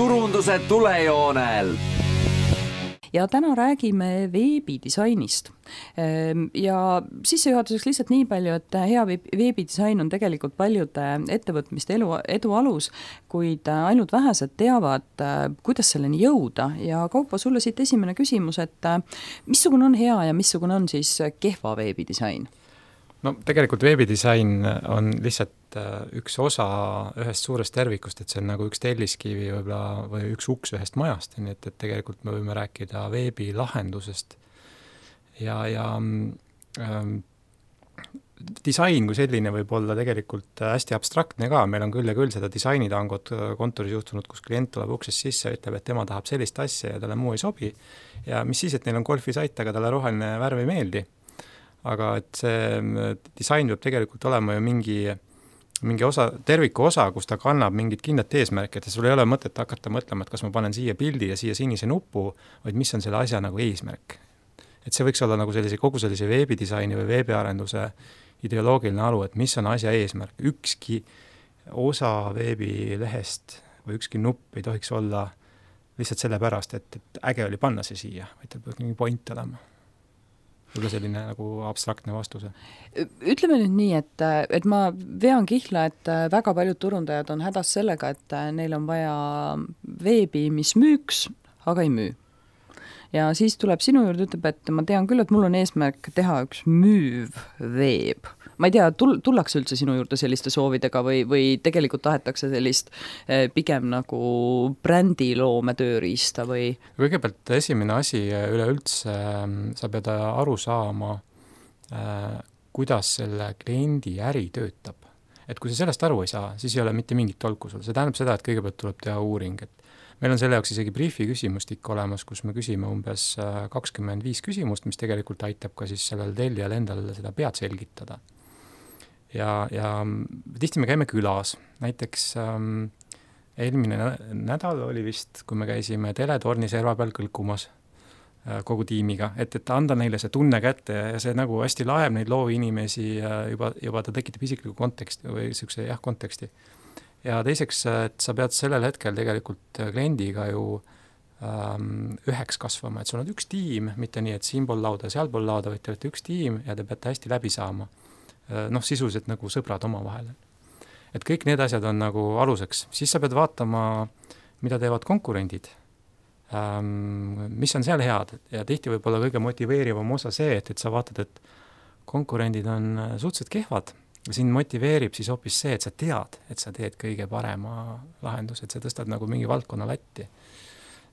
turunduse tulejoonel. Ja täna räägime veebidisainist. Ja sissejuhatuseks lihtsalt nii palju, et hea veebidisain on tegelikult paljude ettevõtmiste edu alus, kuid ainult vähesed teavad, kuidas selleni jõuda. Ja Kaupo, sulle siit esimene küsimus, et missugune on hea ja missugune on siis kehva veebidisain? No tegelikult veebidisain on lihtsalt üks osa ühest suurest tervikust, et see on nagu üks telliskivi või üks uks ühest majast, nii et tegelikult me võime rääkida veebilahendusest. Ja disain kui selline võib olla tegelikult hästi abstraktne ka, meil on küll ja küll seda disainitangot kontoris juhtunud, kus klient tuleb uksest sisse ja ütleb, et tema tahab sellist asja ja talle muu ei sobi. Ja mis siis, et neil on golfisait, aga talle roheline värv ei meeldi. Aga et see disain peab tegelikult olema ju mingi osa, terviku osa, kus ta kannab mingit kindlat eesmärki, et sul ei ole mõtet hakata mõtlema, et kas ma panen siia pildi ja siia sinise nupu, vaid mis on selle asja nagu eesmärk. Et see võiks olla nagu kogu sellise veebidisaini või veebiarenduse ideoloogiline alu, et mis on asja eesmärk. Ükski osa veebilehest või ükski nupp ei tohiks olla lihtsalt sellepärast, et äge oli panna see siia, vaid ta peab mingi point olema. Võib-olla selline nagu abstraktne vastuse. Ütleme nüüd nii, et ma vean kihla, et väga paljud turundajad on hädas sellega, et neil on vaja veebi, mis müüks, aga ei müü. Ja siis tuleb sinu juurde, ütleb, et ma tean küll, et mul on eesmärk teha üks müüv veeb. Ma ei tea, tullakse üldse sinu juurde selliste soovidega või tegelikult tahetakse sellist pigem nagu brändiloome tööriista või? Kõigepealt esimene asi üleüldse, sa pead aru saama, kuidas selle kliendi äri töötab. Et kui sa sellest aru ei saa, siis ei ole mitte mingit tolku sul. See tähendab seda, et kõigepealt tuleb teha uuring, et meil on selle jaoks isegi briefi küsimustik olemas, kus me küsime umbes 25 küsimust, mis tegelikult aitab ka siis sellel tellijal endal seda pead selgitada. Ja tihti me käime külas. Näiteks eelmine nädal oli vist, kui me käisime Teletorni serva peal kõlkumas kogu tiimiga, et anda neile see tunne kätte ja see nagu hästi laeb neid loovinimesi juba ta tekitab isikliku konteksti või siukse konteksti. Ja teiseks, et sa pead sellel hetkel tegelikult kliendiga ju üheks kasvama, et sul on üks tiim, mitte nii, et siinpool lauda ja sealpool lauda, vaid te olete üks tiim ja te peate hästi läbi saama. Sisuliselt nagu sõbrad oma vahel. Et kõik need asjad on nagu aluseks. Siis sa pead vaatama, mida teevad konkurendid, mis on seal head ja tihti võib olla kõige motiveerivam osa see, et sa vaatad, et konkurendid on suhteliselt kehvad. Siin motiveerib siis hoopis see, et sa tead, et sa teed kõige parema lahendus, et sa tõstad nagu mingi valdkonna latti.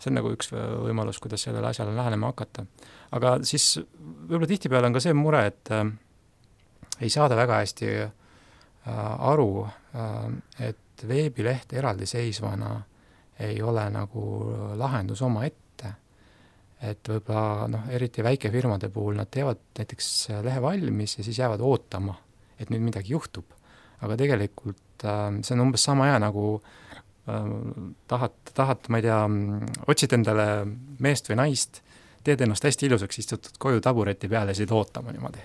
See on nagu üks võimalus, kuidas sellele asjale lähenema hakata. Aga siis võib-olla tihtipeale on ka see mure, et ei saada väga hästi aru, et veebileht eraldiseisvana ei ole nagu lahendus oma ette. Et võib-olla eriti väikefirmade puhul nad teevad näiteks lehe valmis ja siis jäävad ootama, et nüüd midagi juhtub. Aga tegelikult see on umbes sama hea nagu tahad, ma ei tea, otsid endale meest või naist, teed ennast hästi ilusaks, istutud koju tabureti peale ja siit ootama niimoodi.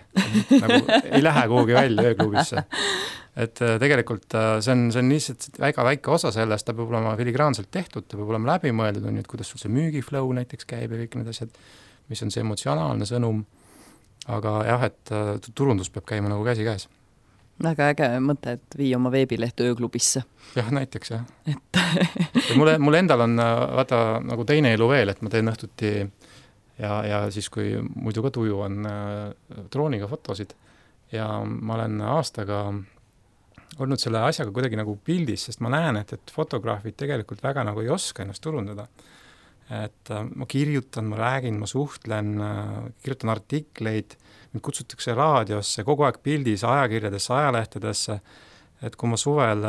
Nagu ei lähe kuhugi välja ööklubisse. Et tegelikult see on lihtsalt väga väike osa sellest, ta peab olema filigraanselt tehtud, ta peab olema läbimõeldud, et kuidas sul see müügiflow näiteks käib ja kõik need asjad, mis on see emotsionaalne sõnum. Aga jah, et turundus peab käima nagu käsi käes. Väga äge mõte, et vii oma veebileht ööklubisse. Jah, näiteks jah. Mul endal on vaata nagu teine elu veel, et ma teen õhtuti ja siis kui muidu ka tuju on drooniga fotosid ja ma olen aastaga olnud selle asjaga kuidagi nagu pildis, sest ma näen, et fotograafid tegelikult väga nagu ei oska ennast turundada. Et ma kirjutan, ma räägin, ma suhtlen, kirjutan artikleid, mind kutsutakse raadiosse, kogu aeg pildis, ajakirjadesse, ajalehtedesse, et kui ma suvel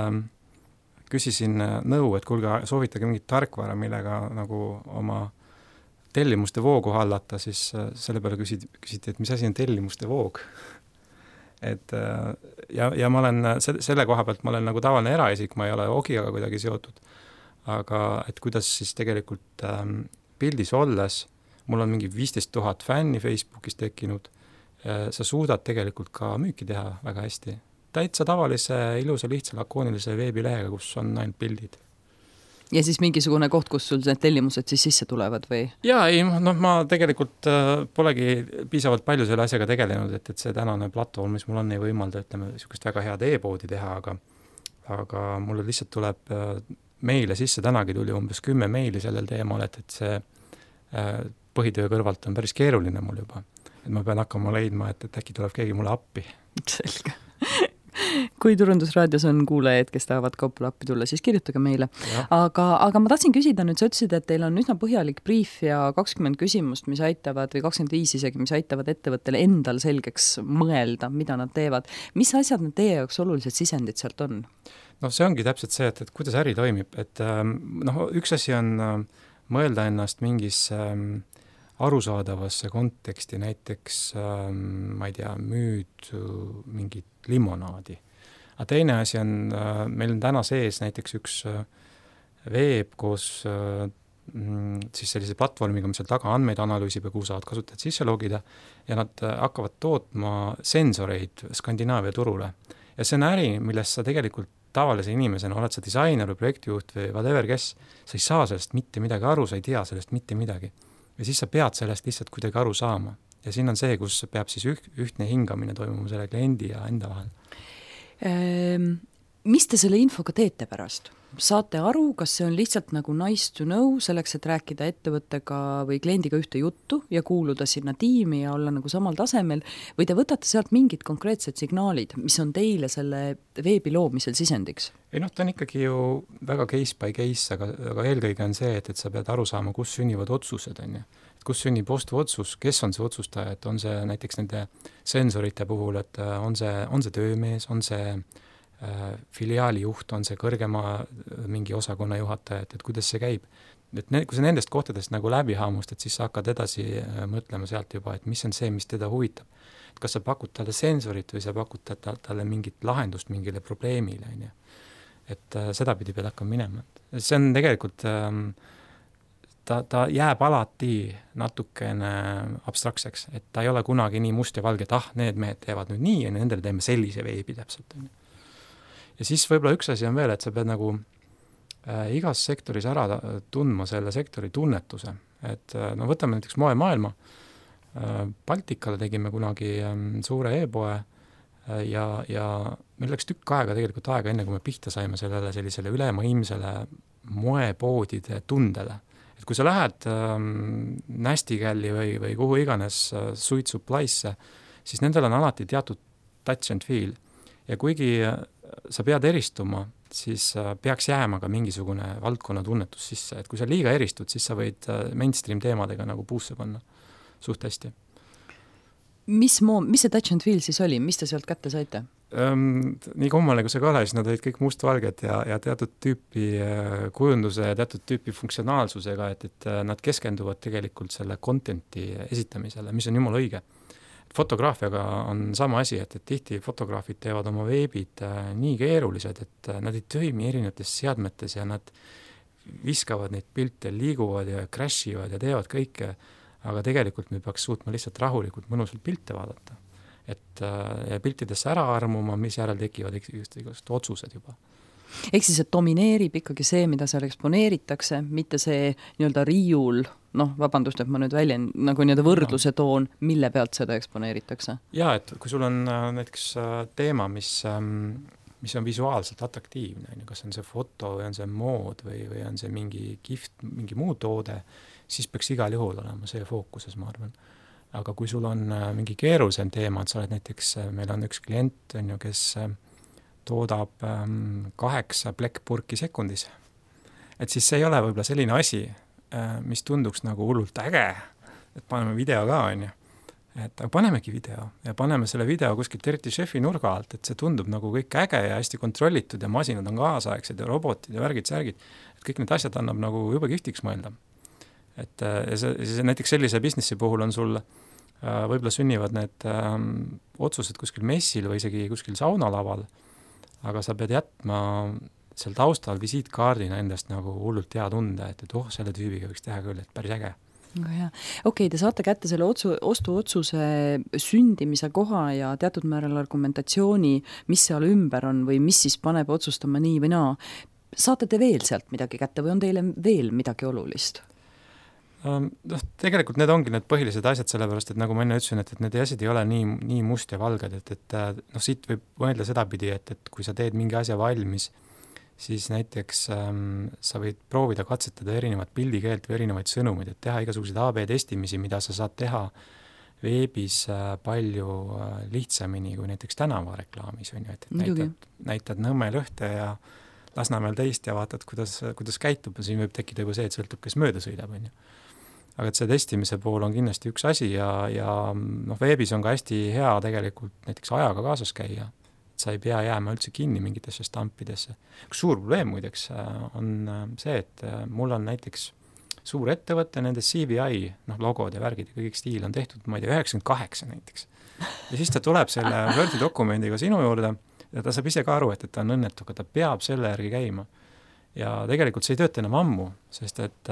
küsisin nõu, et kuulge, soovitage mingit tarkvara, millega nagu oma tellimuste voogu hallata, siis selle peale küsiti, et mis asi on tellimuste voog. Et, ja ma olen selle koha pealt, ma olen nagu tavaline eraisik, ma ei ole Ogiaga kuidagi seotud, aga et kuidas siis tegelikult pildis olles, mul on mingi 15 000 fänni Facebookis tekkinud, sa suudad tegelikult ka müüki teha väga hästi. Täitsa tavalise, ilusa, lihtsa, lakoonilise veebilehega, kus on ainult pildid. Ja siis mingisugune koht, kus sul need tellimused siis sisse tulevad või? Jaa, ei, ma tegelikult polegi piisavalt palju selle asjaga tegelenud, et see tänane platvorm, mis mul on, ei võimalda, ütleme, niisugust väga head e-poodi teha, aga mulle lihtsalt tuleb meile sisse, tänagi tuli umbes 10 meili sellel teemal, et see põhitöö kõrvalt on päris keeruline mul juba. Et ma pean hakkama leidma, et äkki tuleb keegi mulle appi. Selge. Kui Turundusraadios on kuulajaid, kes tahavad kaupale appi tulla, siis kirjutage meile. Aga ma tahtsin küsida nüüd, sa ütlesid, et teil on üsna põhjalik brief ja 20 küsimust, mis aitavad, või 25 isegi, mis aitavad ettevõttele endal selgeks mõelda, mida nad teevad. Mis asjad need teie jaoks olulised sisendid sealt on? No see ongi täpselt see, et kuidas äri toimib. Et üks asi on mõelda ennast mingis arusaadavasse konteksti, näiteks, ma ei tea, müüd mingit limonaadi. Aga teine asi on, meil on täna sees näiteks üks veeb koos siis sellise platvormiga, mis seal taga andmeid analüüsib ja kuhu saavad kasutajad sisse logida ja nad hakkavad tootma sensoreid Skandinaavia turule. Ja see on äri, milles sa tegelikult tavalise inimesena, oled sa disainer või projektijuht või whatever kes, sa ei saa sellest mitte midagi aru, sa ei tea sellest mitte midagi. Ja siis sa pead sellest lihtsalt kuidagi aru saama. Ja siin on see, kus peab siis ühtne hingamine toimuma selle kliendi ja enda vahel. Mis te selle infoga teete pärast? Saate aru, kas see on lihtsalt nagu nice to know, selleks, et rääkida ettevõttega või kliendiga ühte juttu ja kuuluda sinna tiimi ja olla nagu samal tasemel, või te võtate sealt mingid konkreetsed signaalid, mis on teile selle veebi loomisel sisendiks? Ei ta on ikkagi ju väga case by case, aga eelkõige on see, et sa pead aru saama, kus sünnivad otsused, on ju. Et kus sünnib ostuotsus, kes on see otsustaja, et on see näiteks nende sensorite puhul, et on see töömees, on see filiaali juht, on see kõrgema mingi osakonna juhataja, et kuidas see käib. Et kui sa nendest kohtadest nagu läbi haamust, et siis sa hakkad edasi mõtlema sealt juba, et mis on see, mis teda huvitab. Et kas sa pakud talle sensorit või sa pakud talle mingit lahendust mingile probleemile, on ju. Et seda pidi pead hakkama minema. See on tegelikult, ta jääb alati natukene abstraktseks, et ta ei ole kunagi nii must ja valge, et need mehed teevad nüüd nii ja nendele teeme sellise veebi täpselt, on ju. Ja siis võib-olla üks asi on veel, et sa pead nagu igas sektoris ära tundma selle sektori tunnetuse. Et võtame näiteks moemaailma. Baltikale tegime kunagi suure e-poe ja meil läks tükk aega tegelikult enne, kui me pihta saime sellisele ülemaailmsele moepoodide tundele. Et kui sa lähed Nasty-Galli või kuhu iganes Sweet Supply'sse, siis nendel on alati teatud touch and feel. Ja kuigi sa pead eristuma, siis peaks jääma ka mingisugune valdkonna tunnetus sisse. Et kui sa liiga eristud, siis sa võid mainstream teemadega nagu puusse panna suht hästi. Mis see touch and feel siis oli? Mis te sealt kätte saite? Nii kummaline, kui see ka ole, siis nad olid kõik mustvalged ja teatud tüüpi kujunduse ja teatud tüüpi funktsionaalsusega, et nad keskenduvad tegelikult selle contenti esitamisele, mis on jumala õige. Fotograafiaga on sama asi, et tihti fotograafid teevad oma veebid nii keerulised, et nad ei toimi erinevates seadmetes ja nad viskavad neid pilte, liiguvad ja crashivad ja teevad kõike, aga tegelikult me peaks suutma lihtsalt rahulikult mõnusalt pilte vaadata. Et piltidesse ära armuma, mis järel tekivad igast otsused juba. Ehk siis, et domineerib ikkagi see, mida seal eksponeeritakse, mitte see nii-öelda riiul, vabandust, et ma nüüd nagu nii-öelda võrdluse toon, mille pealt seda eksponeeritakse? Jaa, et kui sul on näiteks teema, mis on visuaalselt atraktiivne, kas on see foto või on see mood või on see mingi gift, mingi muu toode, siis peaks igal juhul olema see fookuses, ma arvan. Aga kui sul on mingi keerulisem teema, et sa oled näiteks, meil on üks klient, kes toodab 8 plekkpurki sekundis. Et siis see ei ole võib-olla selline asi, mis tunduks nagu hullult äge, et paneme video ka, on ju. Et panemegi video ja paneme selle video kuskilt eriti šefi nurga alt, et see tundub nagu kõik äge ja hästi kontrollitud ja masinad on kaasaegsed ja robotid ja värgid-särgid. Et kõik need asjad annab nagu juba kihvtiks mõelda. Et see näiteks sellise businessi puhul on sul võib-olla sünnivad need otsused kuskil messil või isegi kuskil saunalaval, aga sa pead jätma seal taustal visiitkaardina endast nagu hullult hea tunde, et selle tüübiga võiks teha küll, et päris äge. Okei, te saate kätte selle ostuotsuse sündimise koha ja teatud määral argumentatsiooni, mis seal ümber on või mis siis paneb otsustama nii või naa. saate te veel sealt midagi kätte või on teile veel midagi olulist? Tegelikult need ongi need põhilised asjad, sellepärast, et nagu ma enne ütlesin, et need asjad ei ole nii must ja valged, et siit võib mõelda sedapidi, et kui sa teed mingi asja valmis, siis näiteks sa võid proovida katsetada erinevat pildikeelt või erinevaid sõnumeid, et teha igasuguseid AB testimisi, mida sa saad teha veebis palju lihtsamini kui näiteks tänavareklaamis, on ju, et näitad Nõmmel ühte ja Lasnamäel teist ja vaatad, kuidas käitub ja siin võib tekkida juba see, et sõltub, kes mööda sõidab, on ju. Aga et see testimise pool on kindlasti üks asi ja veebis on ka hästi hea tegelikult näiteks ajaga kaasas käia, et sa ei pea jääma üldse kinni mingitesse stampidesse. Üks suur probleem muideks on see, et mul on näiteks suur ettevõte, nende CVI, logod ja värgid ja kõik stiil on tehtud, ma ei tea, 98 näiteks. Ja siis ta tuleb selle Wordi dokumendiga sinu juurde ja ta saab ise ka aru, et ta on õnnetu, aga ta peab selle järgi käima. Ja tegelikult see ei tööta enam ammu, sest et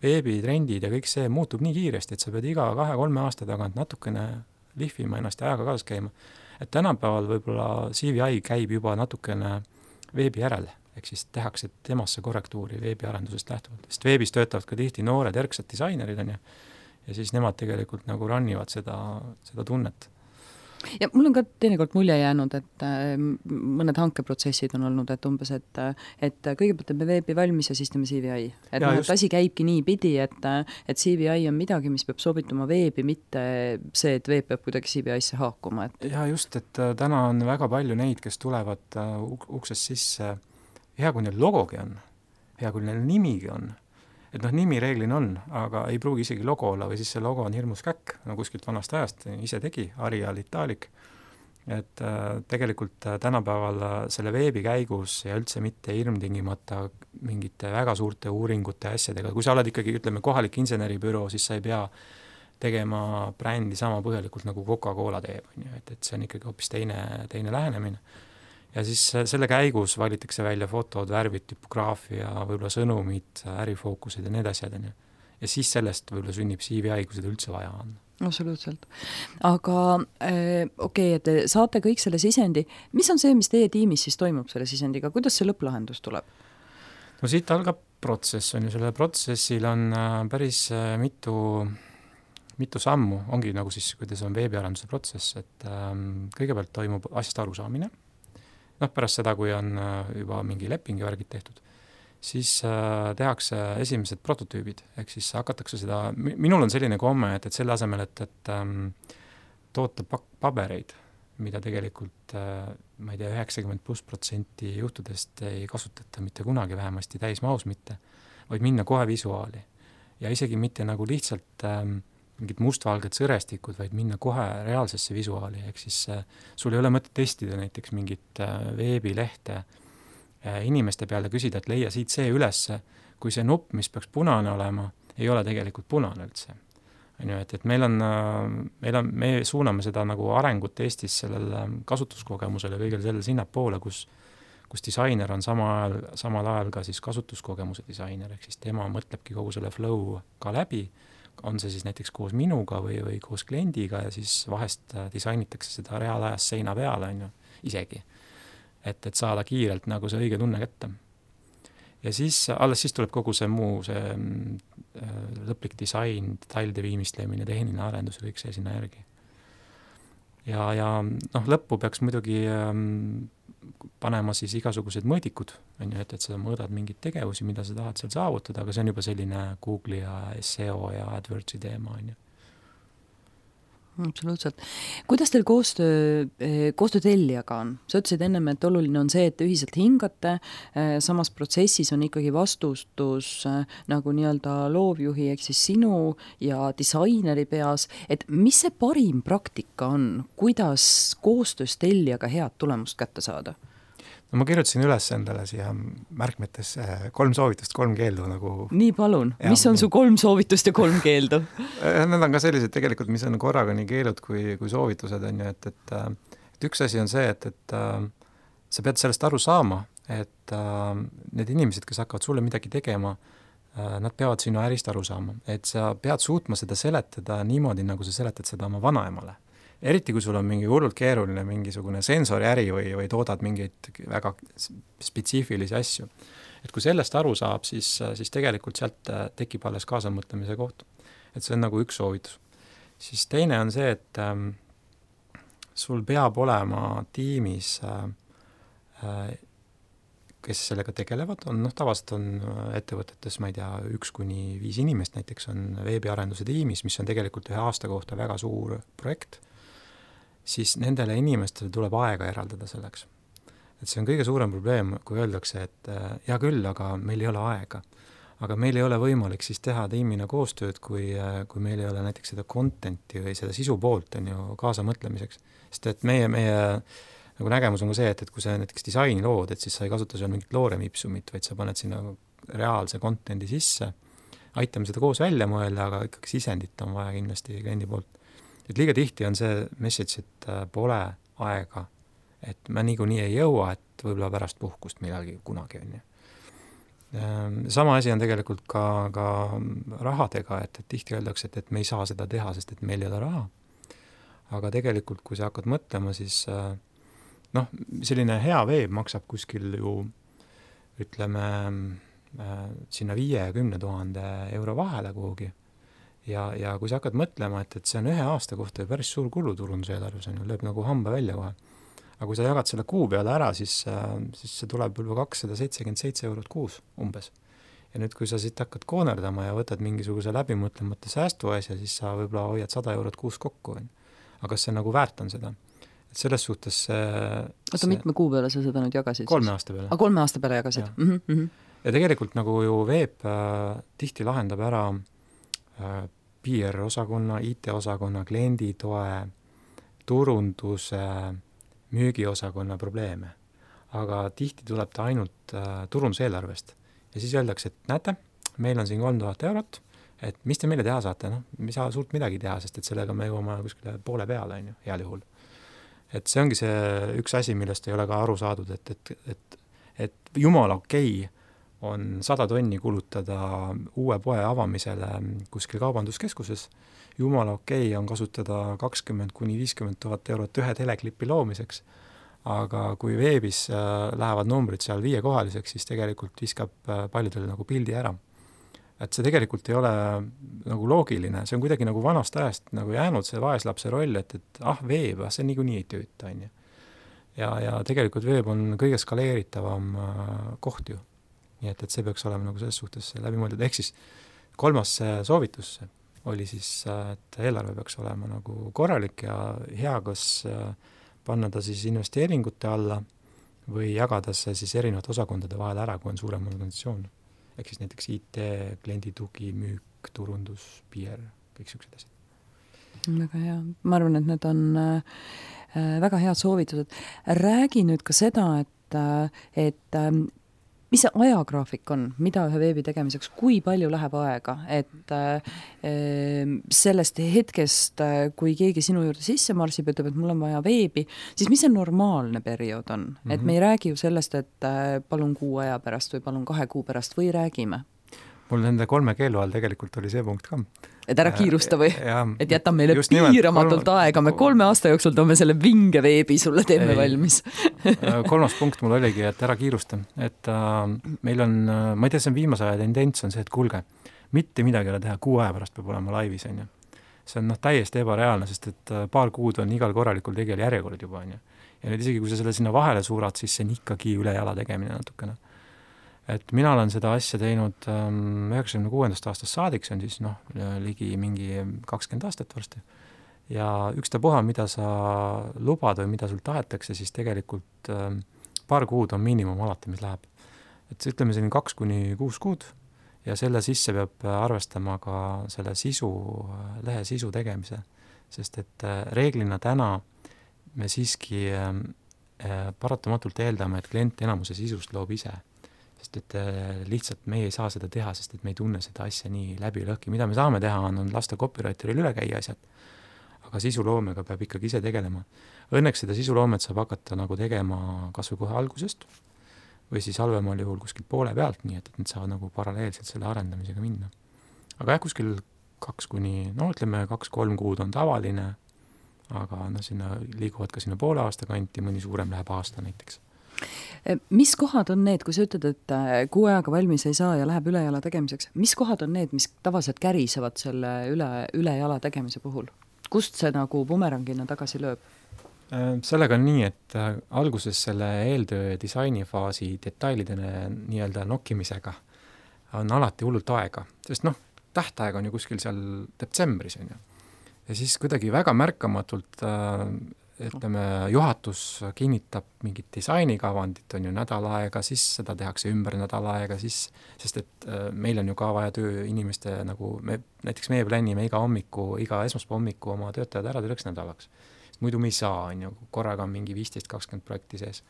veebitrendid ja kõik see muutub nii kiiresti, et sa pead iga 2-3 aasta tagant natukene lihvima ennast ja ajaga kaasas käima. Et tänapäeval võib-olla CVI käib juba natukene veebi järel, ehk siis tehakse temasse korrektuuri veebiarendusest lähtuvalt. Sest veebis töötavad ka tihti noored erksad disainerid on ja siis nemad tegelikult nagu rannivad seda tunnet. Ja mul on ka teinekord mulje jäänud, et mõned hankeprotsessid on olnud, et umbes, et kõigepealt teeme veebi valmis ja siis teeme CVI. Et asi käibki nii pidi, et CVI on midagi, mis peab sobituma veebi, mitte see, et veeb peab kuidagi CVI-sse haakuma. Ja just, et täna on väga palju neid, kes tulevad uksest sisse, hea kui neil logogi on, hea kui neil nimigi on, et nimi reeglina on, aga ei pruugi isegi logo olla või siis see logo on hirmus käkk, kuskilt vanast ajast ise tegi, Arial Italic, et tegelikult tänapäeval selle veebi käigus ja üldse mitte hirmtingimata mingite väga suurte uuringute asjadega, kui sa oled ikkagi, ütleme, kohalik inseneribüroo, siis sa ei pea tegema brändi sama põhjalikult nagu Coca-Cola teeb, et see on ikkagi hoopis teine lähenemine. Ja siis selle käigus valitakse välja fotod, värvid, typograafia, võib-olla sõnumid, ärifookused ja need asjad. Ja siis sellest võib-olla sünnib CVI, kui seda üldse vaja on. Absoluutselt. Aga okei, et te saate kõik selle sisendi. Mis on see, mis teie tiimis siis toimub selle sisendiga? Kuidas see lõpplahendus tuleb? No siit algab protsess, on ju. Selle protsessil on päris mitu sammu. Ongi nagu siis, kuidas on veebiarenduse protsess, et kõigepealt toimub asjast arusaamine. Pärast seda, kui on juba mingi leping ja värgid tehtud, siis tehakse esimesed prototüübid, ehk siis hakatakse seda, minul on selline komme, et selle asemel, et toota pabereid, mida tegelikult, ma ei tea, 90% juhtudest ei kasutata mitte kunagi, vähemasti täismaus mitte, vaid minna kohe visuaali. Ja isegi mitte nagu lihtsalt mingid mustvalged sõrestikud, vaid minna kohe reaalsesse visuaali, ehk siis sul ei ole mõtet testida näiteks mingit veebilehte inimeste peale küsida, et leia siit see ülesse, kui see nupp, mis peaks punane olema, ei ole tegelikult punane üldse. Et me suuname seda nagu arengut Eestis sellel kasutuskogemusel ja kõigel sellel sinnapoole, kus disainer on samal ajal ka siis kasutuskogemuse disainer, ehk siis tema mõtlebki kogu selle flow ka läbi, on see siis näiteks koos minuga või koos kliendiga ja siis vahest disainitakse seda reaalajas seina peale, on ju, isegi. Et saada kiirelt nagu see õige tunne kätte. Ja siis, alles siis tuleb kogu see muu, see lõplik disain, detailide viimistlemine, tehniline arendus ja kõik see sinna järgi. Ja lõppu peaks muidugi panema siis igasugused mõõdikud, on ju, et sa mõõdad mingeid tegevusi, mida sa tahad seal saavutada, aga see on juba selline Google'i ja SEO ja AdWordsi teema, on ju. Absoluutselt. Kuidas teil koostöö tellijaga on? Sa ütlesid ennem, et oluline on see, et ühiselt hingate, samas protsessis on ikkagi vastustus nagu nii-öelda loovjuhi, ehk siis sinu ja disaineri peas, et mis see parim praktika on, kuidas koostöös tellijaga head tulemust kätte saada? No ma kirjutasin üles endale siia märkmetesse 3 soovitust, 3 keeldu nagu... Nii palun, mis on su 3 soovitust ja 3 keeldu? Need on ka sellised tegelikult, mis on korraga nii keelud kui soovitused, on ju, et üks asi on see, et sa pead sellest aru saama, et need inimesed, kes hakkavad sulle midagi tegema, nad peavad sinu ärist aru saama, et sa pead suutma seda seletada niimoodi, nagu sa seletad seda oma vanaemale. eriti kui sul on mingi hullult keeruline mingisugune sensoriäri või toodad mingeid väga spetsiifilisi asju. Et kui sellest aru saab, siis tegelikult sealt tekib alles kaasamõtlemise koht. Et see on nagu üks soovitus. Siis teine on see, et sul peab olema tiimis, kes sellega tegelevad, tavaliselt on ettevõtetes, ma ei tea, 1-5 inimest näiteks on veebiarenduse tiimis, mis on tegelikult 1 aasta kohta väga suur projekt, siis nendele inimestele tuleb aega eraldada selleks. Et see on kõige suurem probleem, kui öeldakse, et hea küll, aga meil ei ole aega. Aga meil ei ole võimalik siis teha tiimina koostööd, kui meil ei ole näiteks seda contenti või seda sisu poolt on ju kaasamõtlemiseks. Sest et meie nagu nägemus on ka see, et kui sa näiteks disaini lood, et siis sa ei kasuta seal mingit looremipsumit, vaid sa paned sinna reaalse contendi sisse, aitame seda koos välja mõelda, aga ikkagi sisendit on vaja kindlasti kliendi poolt. Et liiga tihti on see message, et pole aega, et ma niikuinii ei jõua, et võib-olla pärast puhkust millalgi kunagi on ju. Sama asi on tegelikult ka rahadega, et tihti öeldakse, et me ei saa seda teha, sest et meil ei ole raha. Aga tegelikult, kui sa hakkad mõtlema, siis selline hea veeb maksab kuskil ju, ütleme, sinna 5-10 000 euro vahele kuhugi. Ja kui sa hakkad mõtlema, et see on 1 aasta kohta ja päris suur kuluturunduseelarves on ju, lööb nagu hamba välja kohe. Aga kui sa jagad selle kuu peale ära, siis see tuleb juba 277 eurot kuus umbes. Ja nüüd, kui sa siit hakkad koonerdama ja võtad mingisuguse läbimõtlemata säästuasja, siis sa võib-olla hoiad 100 eurot kuus kokku. Aga kas see nagu väärt on seda? Et selles suhtes mitme kuu peale sa seda nüüd jagasid? 3 aasta peale. 3 aasta peale jagasid? Ja. Ja tegelikult nagu ju veeb tihti lahendab ära PR-osakonna, IT-osakonna, klienditoe, turunduse, müügiosakonna probleeme. Aga tihti tuleb ta ainult turunduseelarvest. Ja siis öeldakse, et näete, meil on siin 3000 eurot, et mis te meile teha saate? Me ei saa suurt midagi teha, sest et sellega me jõuame kuskile poole peale, on ju, heal juhul. Et see ongi see üks asi, millest ei ole ka aru saadud, et jumala okei on 100 tonni kulutada uue poe avamisele kuskil kaubanduskeskuses. Jumala okei on kasutada 20-50 000 eurot ühe teleklipi loomiseks, aga kui veebis lähevad numbrid seal 5-kohaliseks, siis tegelikult viskab paljudele nagu pildi ära. Et see tegelikult ei ole nagu loogiline, see on kuidagi nagu vanast ajast nagu jäänud see vaeslapse roll, et veeb, see niikuinii ei tööta. Ja tegelikult veeb on kõige skaleeritavam koht ju. Nii et see peaks olema nagu selles suhtes läbimõeldud. Ehk siis 3. soovitus oli siis, et eelarve peaks olema nagu korralik ja hea, kas panna ta siis investeeringute alla või jagada see siis erinevate osakondade vahel ära, kui on suurem organisatsioon. Ehk siis näiteks IT, klienditugi, müük, turundus, PR, kõik sellised asjad. Väga hea. Ma arvan, et need on väga head soovitused. Räägi nüüd ka seda, et mis see ajagraafik on, mida ühe veebi tegemiseks, kui palju läheb aega, et sellest hetkest, kui keegi sinu juurde sisse marsib, ütleb, et mul on vaja veebi, siis mis see normaalne periood on? Et me ei räägi ju sellest, et palun 6 aja pärast või palun 2 kuu pärast või räägime? Mul nende 3 keelu all tegelikult oli see punkt ka. Et ära kiirusta või? Et jäta meile piiramatult aega, me 3 aasta jooksul toome selle vinge veebi sulle teeme valmis. 3. punkt mul oligi, et ära kiirusta. Et meil on, ma ei tea, see on viimase aja tendents on see, et kuulge, mitte midagi ära teha, 6 aja pärast peab olema laivis. On ju. See on täiesti ebareaalne, sest et paar kuud on igal korralikul tegijal järjekord juba. On ju. Ja nüüd isegi, kui sa selle sinna vahele suurad, siis see on ikkagi üle jala tegemine natukene. Et mina olen seda asja teinud 96. aastast saadik, see on siis ligi mingi 20 aastat varsti. Ja ükstapuha, mida sa lubad või mida sul tahetakse, siis tegelikult paar kuud on miinimum alati, mis läheb. Et ütleme siin 2-6 kuud ja selle sisse peab arvestama ka selle lehe sisu tegemise. Sest et reeglina täna me siiski paratamatult eeldame, et klient enamuse sisust loob ise. Sest et lihtsalt me ei saa seda teha, sest et me ei tunne seda asja nii läbi lõhki. Mida me saame teha, on lasta copywriteril üle käia asjad, aga sisuloomega peab ikkagi ise tegelema. Õnneks seda sisuloomet saab hakata nagu tegema kas või kohe algusest või siis halvemal juhul kuskil poole pealt, nii et need saavad nagu paralleelselt selle arendamisega minna. Aga kuskil 2-3 kuud on tavaline, aga sinna liiguvad ka sinna poole aasta kanti, mõni suurem läheb aasta näiteks. Mis kohad on need, kui sa ütled, et kuu ajaga valmis ei saa ja läheb ülejala tegemiseks, mis kohad on need, mis tavaliselt kärisevad selle ülejala tegemise puhul? Kust see nagu bumerangina tagasi lööb? Sellega on nii, et alguses selle eeltöö ja disainifaasi detailidene nii-öelda nokkimisega on alati hullult aega, sest tähtaeg on ju kuskil seal detsembris, on ju. Ja siis kuidagi väga märkamatult ütleme, juhatus kinnitab mingit disainikavandit, on ju nädal aega, siis seda tehakse ümber nädal aega, siis, sest et meil on ju ka vaja tööinimeste nagu, näiteks meie plänime iga esmaspäeva hommiku oma töötajad ära tööks nädalaks. Muidu me ei saa, on ju, korraga on mingi 15-20 projekti sees.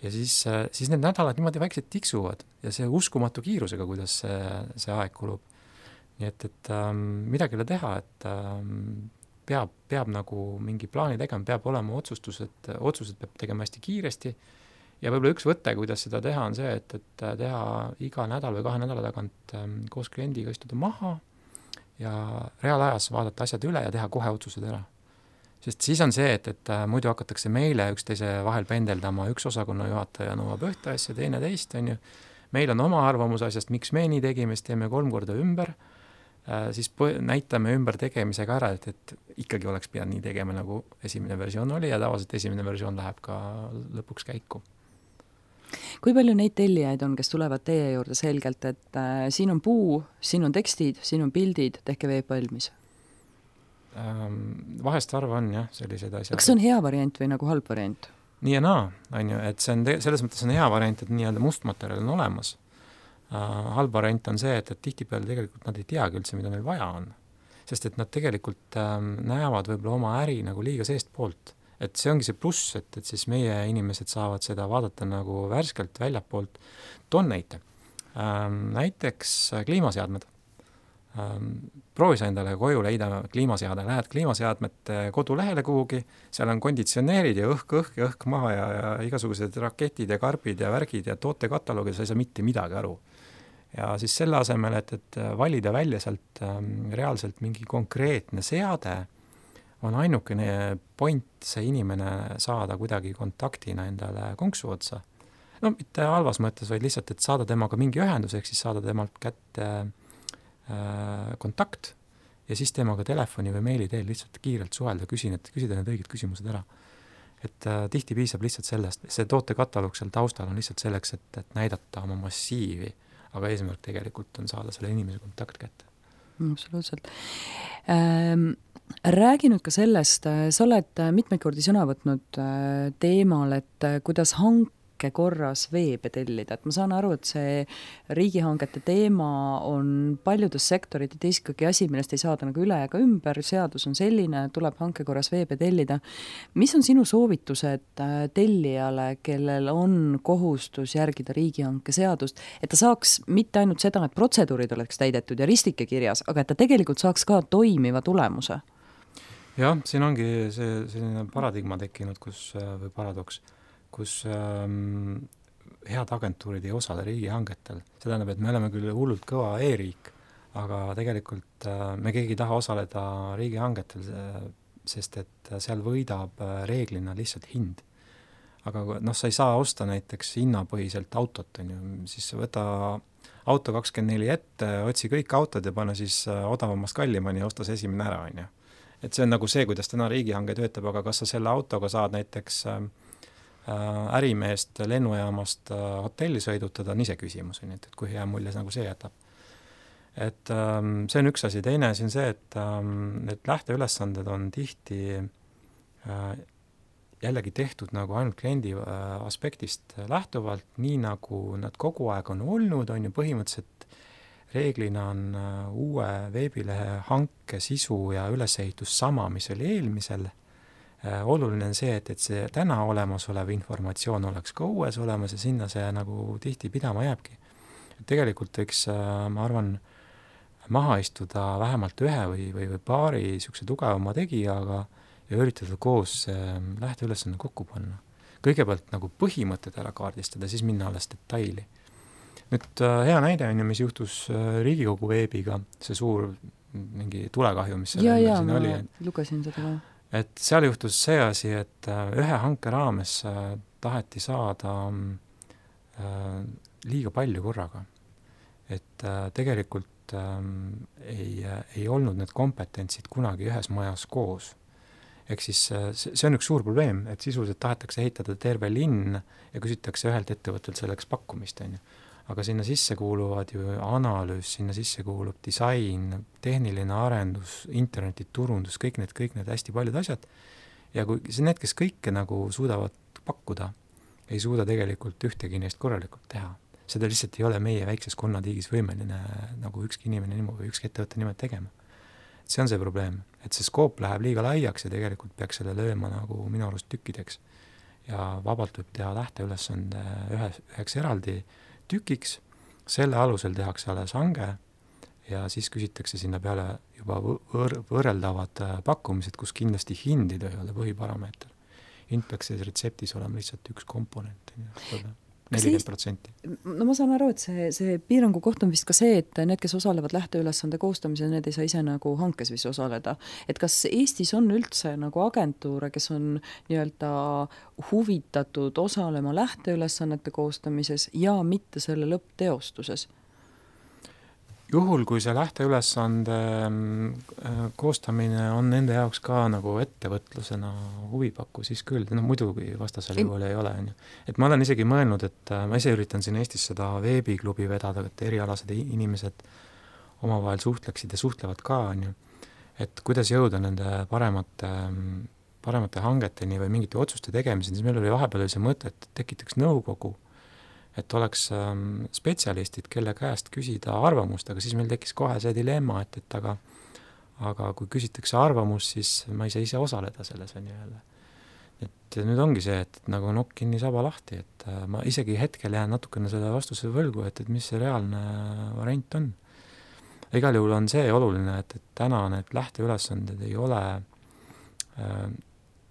Ja siis need nädalad niimoodi väiksed tiksuvad ja see uskumatu kiirusega, kuidas see aeg kulub. Nii et midagi ei ole teha, et peab nagu mingi plaani tegema, peab olema otsused peab tegema hästi kiiresti ja võib-olla üks võte, kuidas seda teha, on see, et teha iga nädal või 2 nädala tagant koos kliendiga istuda maha ja reaalajas vaadata asjad üle ja teha kohe otsused ära. Sest siis on see, et muidu hakatakse meile üksteise vahel pendeldama, üks osakonna juhataja nõuab ühte asja, teine teist, on ju. Meil on oma arvamus asjast, miks me nii tegime, siis teeme 3 korda ümber, siis näitame ümber tegemisega ära, et ikkagi oleks pidanud nii tegema, nagu esimene versioon oli ja tavaliselt esimene versioon läheb ka lõpuks käiku. Kui palju neid tellijaid on, kes tulevad teie juurde selgelt, et siin on puu, siin on tekstid, siin on pildid, tehke veeb valmis? Vahest arva on jah, sellised asjad. Kas see on hea variant või nagu halb variant? Nii ja naa, on ju, et see on selles mõttes on hea variant, et nii-öelda mustmaterjal on olemas. Halb variant on see, et tihtipeale tegelikult nad ei teagi üldse, mida neil vaja on. Sest et nad tegelikult näevad võib-olla oma äri nagu liiga seest poolt. Et see ongi see pluss, et siis meie inimesed saavad seda vaadata nagu värskelt väljapoolt. Toon näite. Näiteks kliimaseadmed. Proovi sa endale koju leida kliimaseade, lähed kliimaseadmete kodulehele kuhugi, seal on konditsioneerid ja õhk maha ja igasugused raketid ja karbid ja värgid ja tootekataloogid, sa ei saa mitte midagi aru. Ja siis selle asemel, et valida välja sealt reaalselt mingi konkreetne seade, on ainukene point see inimene saada kuidagi kontaktina endale konksu otsa. Mitte halvas mõttes, vaid lihtsalt, et saada temaga mingi ühendus, ehk siis saada temalt kätte kontakt ja siis temaga telefoni või meili teel lihtsalt kiirelt suhelda, küsida need õiged küsimused ära. Et tihti piisab lihtsalt sellest, see tootekataloog seal taustal on lihtsalt selleks, et näidata oma massiivi, aga eesmärk tegelikult on saada selle inimese kontakt kätte. Absoluutselt. Räägi nüüd ka sellest, sa oled mitmeid kordi sõna võtnud teemal, et kuidas korras veebe tellida, et ma saan aru, et see riigihangete teema on paljudes sektorites ikkagi asi, millest ei saada nagu üle ega ümber, seadus on selline, tuleb hanke korras veebe tellida. Mis on sinu soovitused tellijale, kellel on kohustus järgida riigihanke seadust, et ta saaks mitte ainult seda, et protseduurid oleks täidetud ja ristike kirjas, aga et ta tegelikult saaks ka toimiva tulemuse? Jah, siin ongi selline paradigma tekkinud, või paradoks, kus head agentuurid ei osale riigihangetel. See tähendab, et me oleme küll hullult kõva e-riik, aga tegelikult me keegi ei taha osaleda riigihangetel, sest et seal võidab reeglina lihtsalt hind. Aga sa ei saa osta näiteks hinnapõhiselt autot, on ju, siis võta auto 24 ette, otsi kõik autod ja pane siis odavamast kallimani ja osta see esimene ära, on ju. Et see on nagu see, kuidas täna riigihange töötab, aga kas sa selle autoga saad näiteks ärimeest lennujaamast hotelli sõidutada, on ise küsimus, et kui hea mulje nagu see jätab. Et see on üks asi, teine asi on see, et lähteülesanded on tihti jällegi tehtud nagu ainult kliendi aspektist lähtuvalt, nii nagu nad kogu aeg on olnud, on ju põhimõtteliselt reeglina on uue veebilehe hanke sisu ja ülesehitus sama, mis oli eelmisel. Oluline on see, et see täna olemasolev informatsioon oleks ka uues olemas ja sinna see nagu tihti pidama jääbki. Tegelikult võiks, ma arvan, maha istuda vähemalt ühe või paari niisuguse tugevama tegijaga ja üritada koos lähteülesanne kokku panna. Kõigepealt nagu põhimõtted ära kaardistada, siis minna alles detaili. Nüüd hea näide on ju, mis juhtus Riigikogu veebiga, see suur mingi tulekahju, mis siin oli. Lugesin seda ka. et seal juhtus see asi, et ühe hanke raames taheti saada liiga palju korraga. Et tegelikult ei olnud need kompetentsid kunagi ühes majas koos. Ehk siis see on üks suur probleem, et sisuliselt tahetakse ehitada terve linn ja küsitakse ühelt ettevõttelt selleks pakkumist, on ju. Aga sinna sisse kuuluvad ju analüüs, sinna sisse kuulub disain, tehniline arendus, internetiturundus, kõik need hästi paljud asjad. Ja kui need, kes kõike nagu suudavad pakkuda, ei suuda tegelikult ühtegi neist korralikult teha. Seda lihtsalt ei ole meie väikses konnatiigis võimeline nagu ükski inimene niimoodi või ükski ettevõtte nimelt tegema. See on see probleem, et see skoop läheb liiga laiaks ja tegelikult peaks selle lööma nagu minu arust tükkideks. Ja vabalt võib teha lähteülesande üheks eraldi tükiks, selle alusel tehakse alles hange ja siis küsitakse sinna peale juba võrreldavad pakkumised, kus kindlasti hindid ei ole põhiparameeter. Hind peaks selles retseptis olema lihtsalt üks komponent, 40%. No ma saan aru, et see piirangu koht on vist ka see, et need, kes osalevad lähteülesande koostamisel, need ei saa ise nagu hankes vist osaleda. Et kas Eestis on üldse nagu agentuure, kes on nii-öelda huvitatud osalema lähteülesannete koostamises ja mitte selle lõppteostuses? Juhul, kui see lähteülesande koostamine on nende jaoks ka nagu ettevõtlusena huvipakku, siis küll, muidugi vastasel juhul ei ole. Et ma olen isegi mõelnud, et ma ise üritan siin Eestis seda veebiklubi vedada, et erialased inimesed omavahel suhtleksid ja suhtlevad ka, et kuidas jõuda nende paremate hangeteni või mingite otsuste tegemiseni, siis meil oli vahepeal see mõte, et tekitaks nõukogu, et oleks spetsialistid, kelle käest küsida arvamust, aga siis meil tekkis kohe see dilemma, et aga kui küsitakse arvamust, siis ma ei saa ise osaleda selles on jälle. Et nüüd ongi see, et nagu nokk kinni saba lahti, et ma isegi hetkel jään natukene selle vastuse võlgu, et mis see reaalne variant on. Igal juhul on see oluline, et täna need lähteülesanded ei ole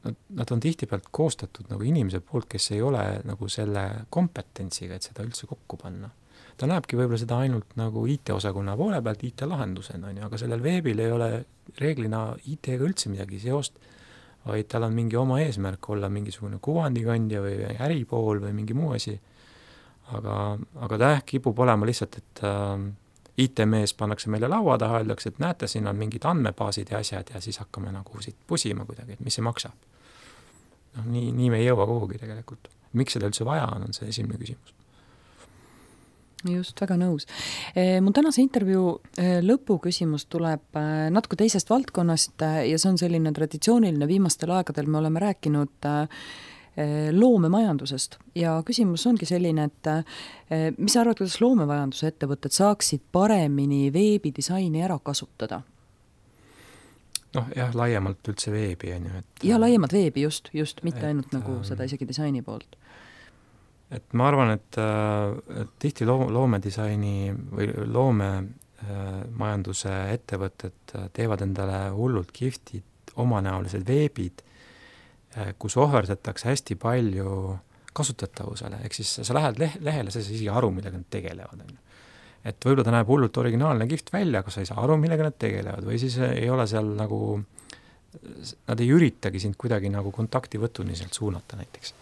nad on tihtipealt koostatud nagu inimese poolt, kes ei ole nagu selle kompetentsiga, et seda üldse kokku panna. Ta näebki võib-olla seda ainult nagu IT-osakonna poole pealt IT-lahendusena, aga sellel veebil ei ole reeglina IT-ga üldse midagi seost, vaid tal on mingi oma eesmärk olla mingisugune kuvandikandja või äripool või mingi muu asi. Aga ta kipub olema lihtsalt, et IT-mees pannakse meile laua taha, öeldakse, et näete, siin on mingid andmebaasid ja asjad ja siis hakkame nagu siit pusima kuidagi, et mis see maksab. Nii me ei jõua kuhugi tegelikult. Miks seda üldse vaja on see esimene küsimus. Just, väga nõus. Mun tänase intervjuu lõpuküsimus tuleb natuke teisest valdkonnast ja see on selline traditsiooniline, viimastel aegadel me oleme rääkinud loomemajandusest ja küsimus ongi selline, et mis sa arvad, kuidas loomemajanduse ettevõtted saaksid paremini veebidisaini ära kasutada? Jah, laiemalt üldse veebi on ju. Ja laiemalt veebi just, mitte ainult nagu seda isegi disaini poolt. Et ma arvan, et tihti loomedisaini või loomemajanduse ettevõtted teevad endale hullult kihvtid omanäolised veebid, kus ohverdatakse hästi palju kasutatavusele, ehk siis sa lähed lehele, sa ei saa isegi aru, millega nad tegelevad. Et võib-olla ta näeb hullult originaalne kihvt välja, aga sa ei saa aru, millega nad tegelevad, või siis ei ole seal nagu, nad ei üritagi sind kuidagi nagu kontaktivõtuni sealt suunata näiteks.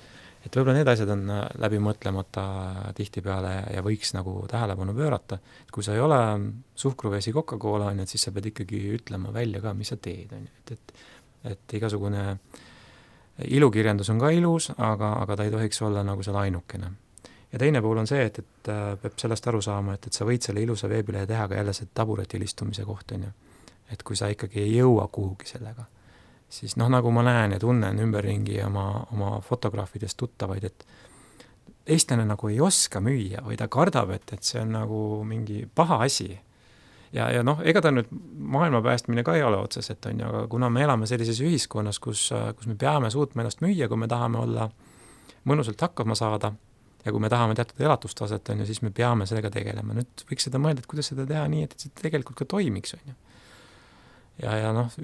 Et võib-olla need asjad on läbi mõtlemata tihtipeale ja võiks nagu tähelepanu pöörata, et kui sa ei ole suhkruvesi Coca-Cola, et siis sa pead ikkagi ütlema välja ka, mis sa teed. Et igasugune ilukirjandus on ka ilus, aga ta ei tohiks olla nagu seal ainukene. Ja teine pool on see, et peab sellest aru saama, et sa võid selle ilusa veebilehe teha ka jälle see taburetil istumise koht on ju. Et kui sa ikkagi ei jõua kuhugi sellega, siis nagu ma näen ja tunnen ümberringi oma fotograafidest tuttavaid, et eestlane nagu ei oska müüa või ta kardab, et see on nagu mingi paha asi. Ja ega ta nüüd maailma päästmine ka ei ole otseselt on ju, aga kuna me elame sellises ühiskonnas, kus me peame suutma ennast müüa, kui me tahame olla mõnusalt hakkama saada, ja kui me tahame teatud elatustaset, on ju, siis me peame sellega tegelema. Nüüd võiks seda mõelda, et kuidas seda teha nii, et see tegelikult ka toimiks. On ju. Ja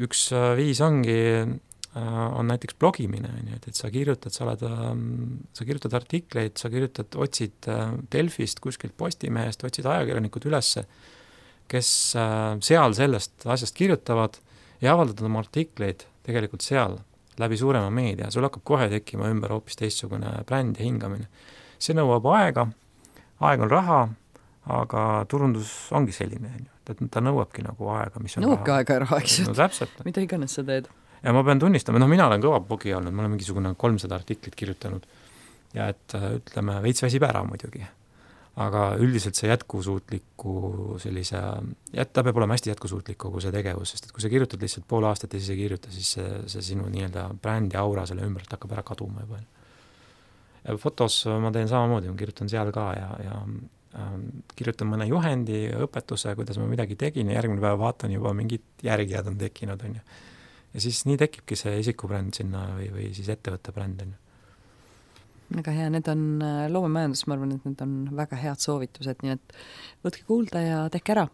üks viis on näiteks blogimine, on ju, et sa kirjutad artikleid, otsid Delfist, kuskilt Postimehest, otsid ajakirjanikud ülesse, kes seal sellest asjast kirjutavad ja avaldavad oma artikleid tegelikult seal läbi suurema meedia, sul hakkab kohe tekkima ümber hoopis teistsugune bränd ja hingamine. See nõuab aega, aeg on raha, aga turundus ongi selline, ta nõuabki nagu aega, mis on nõuabki aega ja raha, eks ju. No täpselt. Mida iganes sa teed. Ja ma pean tunnistama, mina olen kõva pogi olnud, ma olen mingisugune 300 artiklit kirjutanud ja et ütleme, veits väsib ära muidugi. Aga üldiselt see jätkusuutliku sellise, ta peab olema hästi jätkusuutlik kogu see tegevus, sest et kui sa kirjutad lihtsalt pool aastat ja siis ei kirjuta, siis see sinu nii-öelda brändi aura selle ümber hakkab ära kaduma juba. Ja fotos ma teen samamoodi, ma kirjutan seal ka ja kirjutan mõne juhendi, õpetuse, kuidas ma midagi tegin ja järgmine päev vaatan juba mingid järgijad on tekkinud. On ju. Ja siis nii tekibki see isikubränd sinna või siis ettevõtte bränd. On ju. Väga hea, need on loomemajandus, ma arvan, et need on väga head soovitused, nii et võtke kuulda ja tehke ära.